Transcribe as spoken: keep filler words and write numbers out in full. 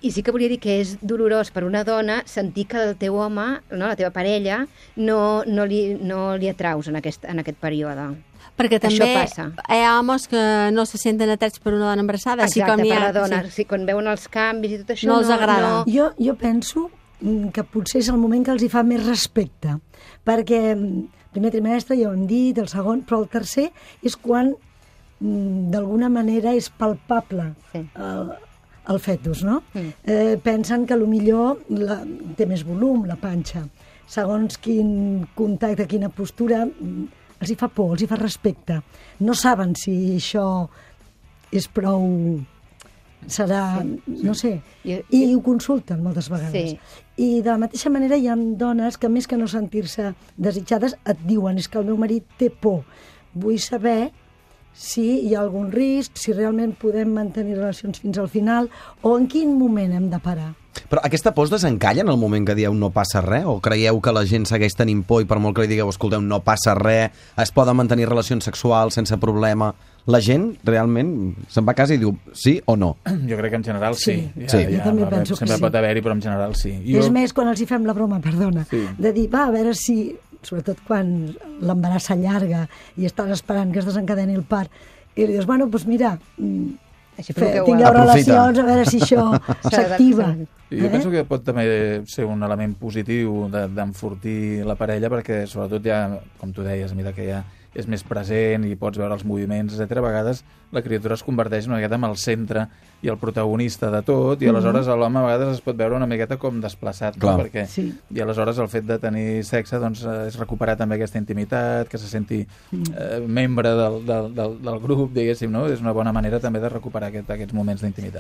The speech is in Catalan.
I sí que volia dir que és dolorós per una dona sentir que el teu home, no, la teva parella, no, no, li, no li atraus en aquest, en aquest període. Perquè també passa. Hi ha homes que no se senten atrets per una dona embarassada. Exacte, així com hi ha, per la dona. Sí. Sí, quan veuen els canvis i tot això... No els agrada. No... Jo, jo penso que potser és el moment que els hi fa més respecte, perquè el primer trimestre ja ho hem dit, el segon, però el tercer és quan d'alguna manera és palpable sí. el, el fetus, no? Mm. Eh, pensen que millor la, té més volum, la panxa. Segons quin contacte, quina postura, els hi fa por, els hi fa respecte. No saben si això és prou... serà, sí, no sé, sí. I, i ho consulten moltes vegades. Sí. I de la mateixa manera hi ha dones que més que no sentir-se desitjades et diuen, és que el meu marit té por. Vull saber si hi ha algun risc, si realment podem mantenir relacions fins al final o en quin moment hem de parar. Però aquesta por es desencalla en el moment que dieu no passa res? O creieu que la gent segueix tenint por i per molt que li digueu, escolteu, no passa res, es poden mantenir relacions sexuals sense problema? La gent realment se'n va a casa i diu sí o no? Jo crec que en general sí. Sí, ja, sí. Ja, jo també penso que sí. Sempre pot haver-hi, però en general sí. Jo... És més, quan els hi fem la broma, perdona, sí. de dir, va, a veure si, sobretot quan l'embaràs s'allarga i estàs esperant que es desencadeni el part, i li dius, bueno, doncs mira, Fe, tingueu relacions, a veure si això s'activa. Jo eh? penso que pot també ser un element positiu d'enfortir la parella, perquè sobretot ja, com tu deies, mira que ja és més present i pots veure els moviments, etcètera. A vegades la criatura es converteix una miqueta en el centre i el protagonista de tot, i aleshores l'home a vegades es pot veure una miqueta com desplaçat, no? Perquè, sí. I aleshores el fet de tenir sexe doncs, és recuperar també aquesta intimitat, que se senti eh, membre del, del, del, del grup, diguéssim, no? És una bona manera també de recuperar aquest, aquests moments d'intimitat.